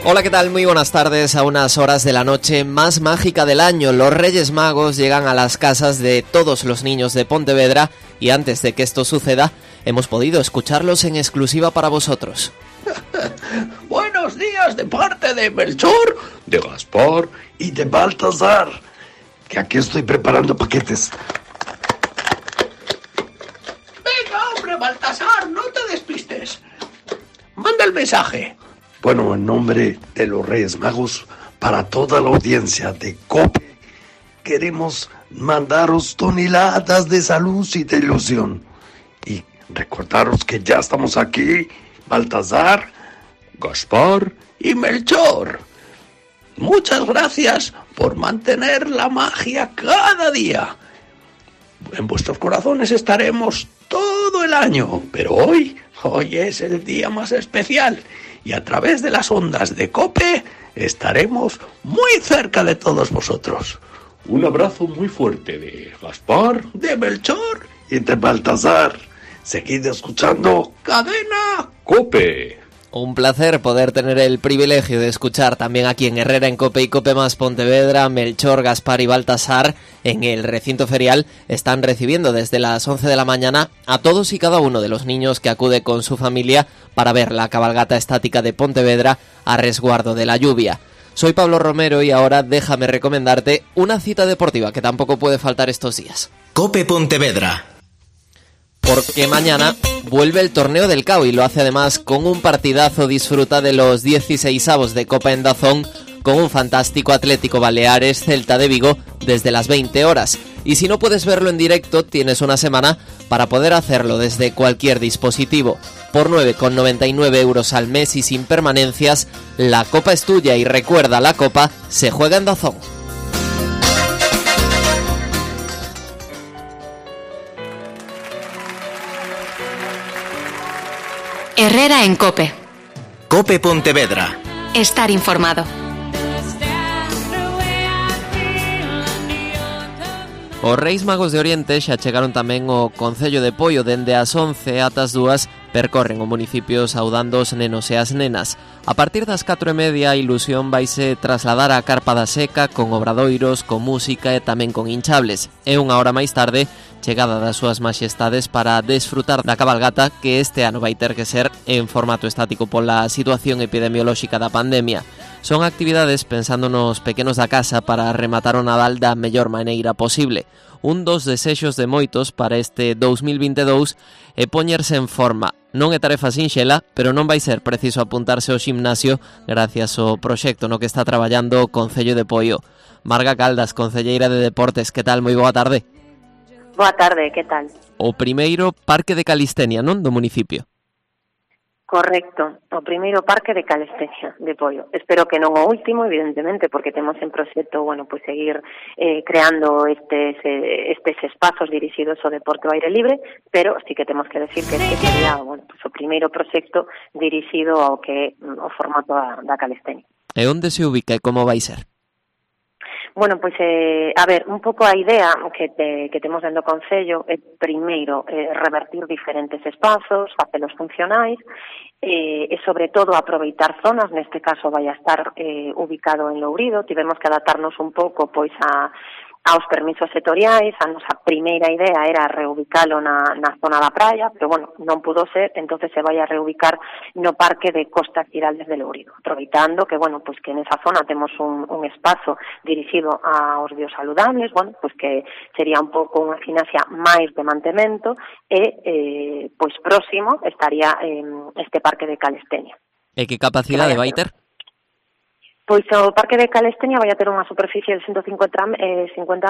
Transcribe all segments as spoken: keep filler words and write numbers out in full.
Hola, ¿qué tal? Muy buenas tardes. A unas horas de la noche más mágica del año, los Reyes Magos llegan a las casas de todos los niños de Pontevedra y antes de que esto suceda, hemos podido escucharlos en exclusiva para vosotros. Buenos días de parte de Melchor, de Gaspar y de Baltasar, que aquí estoy preparando paquetes. Venga, hombre, Baltasar, no te despistes. Manda el mensaje. Bueno, en nombre de los Reyes Magos, para toda la audiencia de COPE, queremos mandaros toneladas de salud y de ilusión. Y recordaros que ya estamos aquí, Baltasar, Gaspar y Melchor. Muchas gracias por mantener la magia cada día. En vuestros corazones estaremos todo el año, pero hoy, hoy es el día más especial. Y a través de las ondas de COPE estaremos muy cerca de todos vosotros. Un abrazo muy fuerte de Gaspar, de Melchor y de Baltasar. Seguid escuchando Cadena COPE. Un placer poder tener el privilegio de escuchar también aquí en Herrera en COPE y COPE más Pontevedra, Melchor, Gaspar y Baltasar en el recinto ferial. Están recibiendo desde las once de la mañana a todos y cada uno de los niños que acude con su familia para ver la cabalgata estática de Pontevedra a resguardo de la lluvia. Soy Pablo Romero y ahora déjame recomendarte una cita deportiva que tampoco puede faltar estos días. COPE Pontevedra. Porque mañana vuelve el torneo del C A O y lo hace además con un partidazo. Disfruta de los dieciseisavos de Copa en Dazón con un fantástico Atlético Baleares Celta de Vigo desde las veinte horas. Y si no puedes verlo en directo, tienes una semana para poder hacerlo desde cualquier dispositivo. Por nueve con noventa y nueve euros al mes y sin permanencias, la Copa es tuya y recuerda, la Copa se juega en Dazón. Herrera en COPE. COPE Pontevedra. Estar informado. Os Reis Magos de Oriente xa chegaron tamén ao Concello de Poio. Dende as once ata as dúas percorren o municipio saudando os nenos e as nenas. A partir das catro e media a ilusión vaise trasladar á Carpa da Seca con obradoiros, con música e tamén con hinchables. E unha hora máis tarde, chegada das súas maxestades para desfrutar da cabalgata, que este ano vai ter que ser en formato estático pola situación epidemiolóxica da pandemia. Son actividades pensando nos pequenos da casa para rematar o Nadal da mellor maneira posible. Un dos desexos de moitos para este dous mil vinte e dous é poñerse en forma. Non é tarefa sinxela, pero non vai ser preciso apuntarse ao gimnasio gracias ao proxecto no que está traballando o Concello de Poio. Marga Caldas, concelleira de Deportes, que tal? Moi boa tarde. Boa tarde, que tal? O primeiro parque de calistenia, non, do municipio? Correcto, o primeiro parque de calistenia de Poio. Espero que non o último, evidentemente, porque temos en proxecto, bueno, pues seguir eh, creando estes, eh, estes espazos dirixidos ao deporte ao aire libre, pero sí que temos que decir que este sería, bueno, pues o primeiro proxecto dirixido ao que o formato da, da calistenia. E onde se ubica e como vai ser? Bueno, pois, eh, a ver, un pouco a idea que, te, que temos dentro do Concello é, primeiro, eh, revertir diferentes espazos, facelos funcionais, eh, e, sobre todo, aproveitar zonas. Neste caso, vai a estar eh, ubicado en Lourido. Tivemos que adaptarnos un pouco, pois, a aos permisos sectoriais. A nosa primeira idea era reubicalo na, na zona da praia, pero, bueno, non pudo ser, entonces se vai a reubicar no Parque de Costas Giraldes de Lourido, aproveitando que, bueno, pues que nesa zona temos un, un espazo dirixido aos biosaludables, bueno, pues que sería un pouco unha gimnasia máis de mantemento e, eh, pois próximo estaría eh, este Parque de Calistenia. E que capacidade vai ter? Pois o Parque de Calistenia vai a ter unha superficie de ciento cincuenta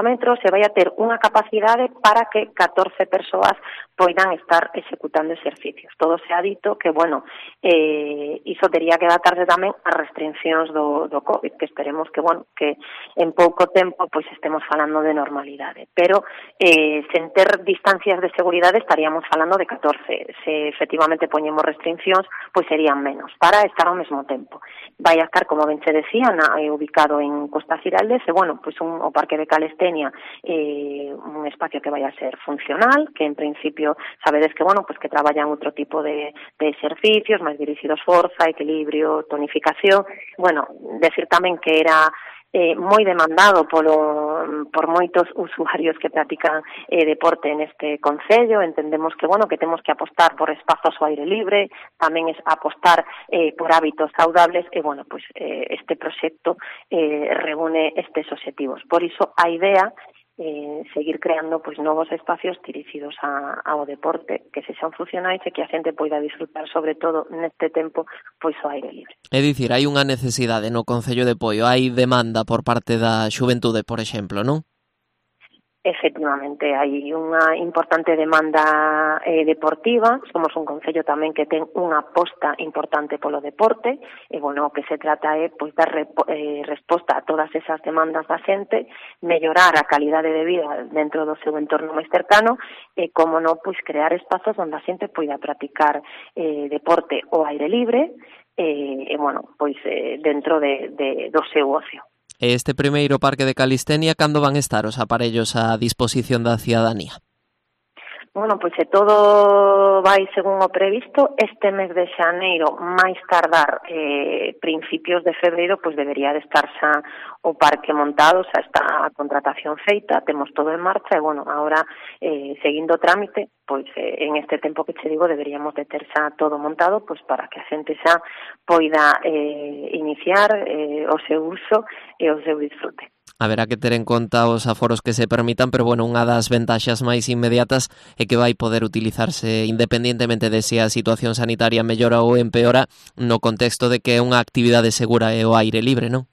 metros e vai a ter unha capacidade para que catorce persoas poidan estar executando exercicios. Todo se ha dito que, bueno, eh, iso tería que adaptarse tamén a restriccións do, do COVID, que esperemos que, bueno, que en pouco tempo pois estemos falando de normalidade. Pero, eh, sen ter distancias de seguridade estaríamos falando de catorce. Se efectivamente poñemos restriccións, pois serían menos, para estar ao mesmo tempo. Vai a estar, como ben se decía, Ciana, eh, ubicado en Costa Xiraldes, e, bueno, pois un, o Parque de Calistenia, eh, un espacio que vai a ser funcional, que en principio sabedes que, bueno, pois que traballan outro tipo de, de exercicios máis dirixidos forza, equilibrio, tonificación. Bueno, decir tamén que era Eh, moi demandado polo, por moitos usuarios que practican eh, deporte neste concello. Entendemos que, bueno, que temos que apostar por espazos ao aire libre, tamén es apostar eh, por hábitos saudables, e, bueno, pues eh, este proxecto eh, reúne estes obxectivos. Por iso, a idea eh, seguir creando pois novos espacios dirixidos a, ao deporte que sexan funcionais e que a xente poida disfrutar, sobre todo neste tempo, pois ao aire libre. É dicir, hai unha necesidade no Concello de Poio, hai demanda por parte da xuventude, por exemplo, non? Efectivamente, hai unha importante demanda eh, deportiva. Somos un concello tamén que ten unha aposta importante polo deporte, e, bueno, o que se trata é pois dar repo, eh, resposta a todas esas demandas da xente, mellorar a calidade de vida dentro do seu entorno máis cercano, e, como non, pois crear espazos onde a xente poida practicar eh, deporte ao aire libre, e, e bueno, pois eh, dentro de, de, do seu ocio. Este primeiro Parque de Calistenia, cando van estar os aparellos a disposición da cidadanía? Bueno, pois se todo vai según o previsto, este mes de xaneiro, máis tardar eh, principios de febreiro, pois debería de estar xa o parque montado, xa está a contratación feita, temos todo en marcha, e, bueno, agora, eh, seguindo o trámite, pois eh, en este tempo que che digo, deberíamos de ter xa todo montado, pois para que a xente xa poida eh, iniciar eh, o seu uso e o seu disfrute. Haberá que ter en conta os aforos que se permitan, pero, bueno, unha das ventaxas máis inmediatas é que vai poder utilizarse independentemente de se a situación sanitaria mellora ou empeora, no contexto de que é unha actividade segura e o aire libre, non?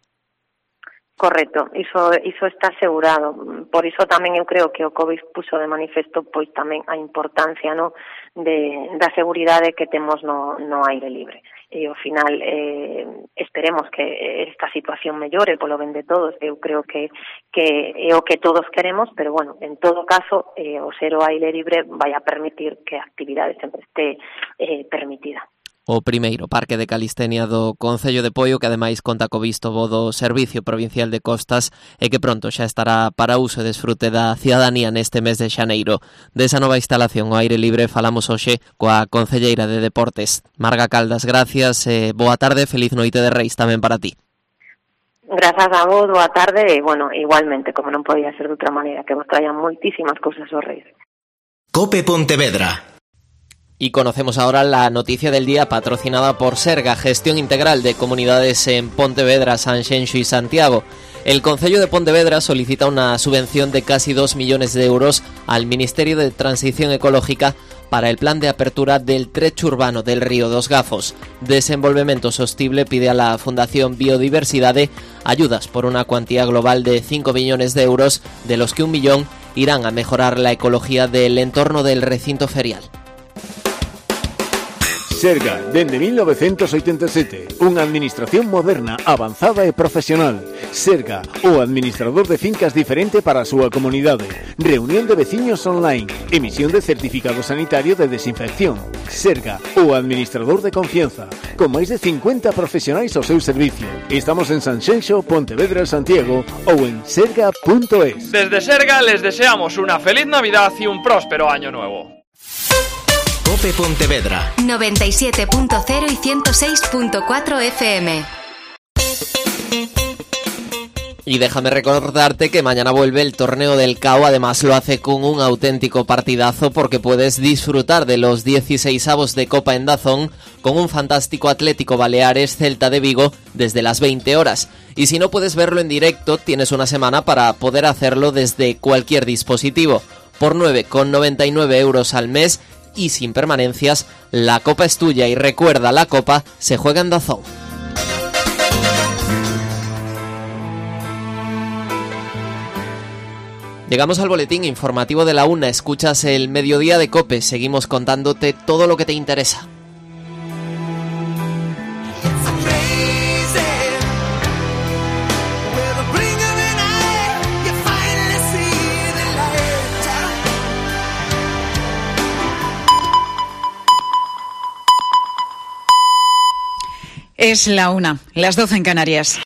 Correcto, iso, iso está asegurado. Por iso tamén eu creo que o COVID puxo de manifesto pois tamén a importancia, no, de, da seguridade que temos no, no aire libre. E ao final eh, esperemos que esta situación mellore polo ben de todos. Eu creo que, que é o que todos queremos, pero, bueno, en todo caso, eh, o ser o aire libre vai a permitir que a actividade sempre este eh, permitida. O primeiro Parque de Calistenia do Concello de Poio, que ademais conta co visto bo do Servicio Provincial de Costas, e que pronto xa estará para uso e desfrute da cidadanía neste mes de xaneiro. Desa nova instalación ao aire libre falamos hoxe coa concelleira de Deportes, Marga Caldas. Gracias, e boa tarde, feliz noite de Reis tamén para ti. Grazas a vos, boa tarde, e, bueno, igualmente, como non podía ser de outra maneira, que vos traían moitísimas cousas os Reis. Cope Pontevedra. Y conocemos ahora la noticia del día patrocinada por Serga, Gestión Integral de Comunidades en Pontevedra, Sanxenxo y Santiago. El Concello de Pontevedra solicita una subvención de casi dos millones de euros al Ministerio de Transición Ecológica para el plan de apertura del trecho urbano del Río dos Gafos. Desenvolvemento Sostible pide a la Fundación Biodiversidade ayudas por una cuantía global de cinco millones de euros, de los que un millón irán a mejorar la ecología del entorno del recinto ferial. Serga, dende mil novecientos oitenta e sete, unha administración moderna, avanzada e profesional. Serga, o administrador de fincas diferente para a súa comunidade. Reunión de veciños online, emisión de certificado sanitario de desinfección. Serga, o administrador de confianza, con máis de cincuenta profesionais ao seu servicio. Estamos en Sanxenxo, Pontevedra, Santiago ou en serga punto es. Desde Serga les deseamos una feliz Navidad y un próspero año nuevo. Cope Pontevedra noventa y siete punto cero y ciento seis punto cuatro F M. Y déjame recordarte que mañana vuelve el torneo del C A O, además lo hace con un auténtico partidazo porque puedes disfrutar de los dieciseisavos de Copa en DAZN con un fantástico Atlético Baleares Celta de Vigo desde las veinte horas. Y si no puedes verlo en directo, tienes una semana para poder hacerlo desde cualquier dispositivo. Por nueve con noventa y nueve euros al mes y sin permanencias, la Copa es tuya y recuerda, la Copa se juega en DAZN. Llegamos al boletín informativo de la una, escuchas el mediodía de COPE, seguimos contándote todo lo que te interesa. Es la una, las doce en Canarias.